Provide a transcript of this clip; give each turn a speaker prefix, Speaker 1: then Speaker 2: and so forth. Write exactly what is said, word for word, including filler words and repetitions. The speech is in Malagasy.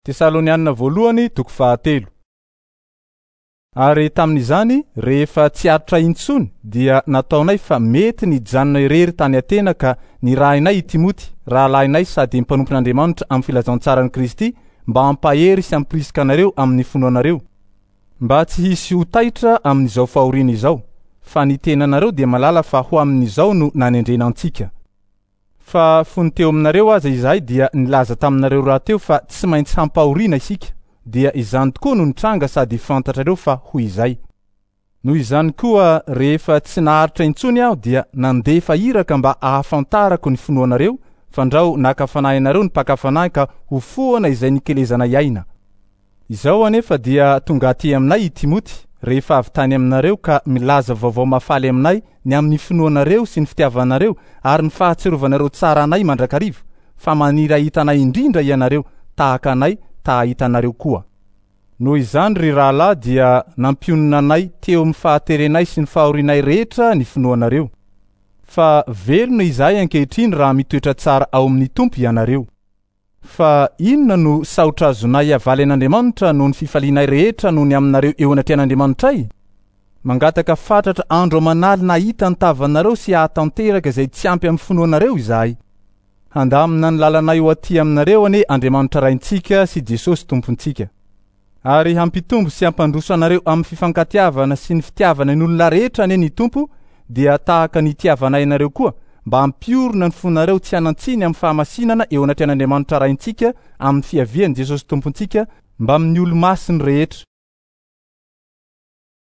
Speaker 1: Tesalonianina voalohany toko fahatelo. Ary tamin'izany, rehefa tsy aritra intsony, dia nataonay fa mety nijanona irery tany Atena ka nirahinay i Timoty, rahalahinay sady mpanompon'Andriamanitra amin'ny filazantsaran'i Kristy, mba hampahery sy hampirisika anareo amin'ny finoanareo, mba tsy hisy ho taitra amin'izao fahoriana izao, fa ny tenanareo dia malala fa ho amin'izao no nanendrena antsika. Fa fony teo aminareo aza izahay dia nilaza taminareo rahateo fa tsy maintsy hampahoriana isika, dia izany tokoa no nitranga sady fantatrareo fa ho izay. Noho izany koa rehefa tsy naharitra intsony aho dia nandefa iraka mba ahafantarako ny finoanareo, fandrao naka fanahy anareo ny mpaka fanahy ka ho foana izay nikelezanay aina. Izao anefa dia tonga aty aminay i Timoty rehefa avy tany aminareo ka milaza vaovao mahafaly aminay ny amin'ny finoanareo sy ny fitiavanareo ary ny fahatsiarovanareo tsara anay mandrakariva, fa maniry hahita anay indrindra ianareo tahaka anay ta hahita anareo koa. Noho izany ry rahalahy dia nampionona anay teo amin'ny fahaterenay sy ny fahorianay rehetra ny finoanareo. Fa velona izahay ankehitriny raha mitoetra tsara ao amin'ny Tompo ianareo. Fa inona no saotra azonay avaly an'Andriamanitra noho ny fifalianay rehetra noho ny aminareo eo anatrehan'Andriamanitray? Mangataka fatratra andro aman'alina hahita ny tavanareo sy hahatanteraka izay tsy ampy amin'ny finoanareo izahay. Handamina ny lalanay ho aty aminareo anie Andriamanitra Raintsika sy Jesosy Tompontsika. Ary hampitombo sy hampandroso anareo amin'ny fifankatiavana sy ny fitiavana ny olona rehetra anie ny Tompo, dia tahaka ny itiavanay anareo koa, mba hampiorina ny fonareo tsy hanan-tsiny amin'ny fahamasinana eo anatrehan'Andriamanitra Raintsika amin'ny fiavian'i Jesosy Tompontsika mbamin'ny olo-masiny rehetra.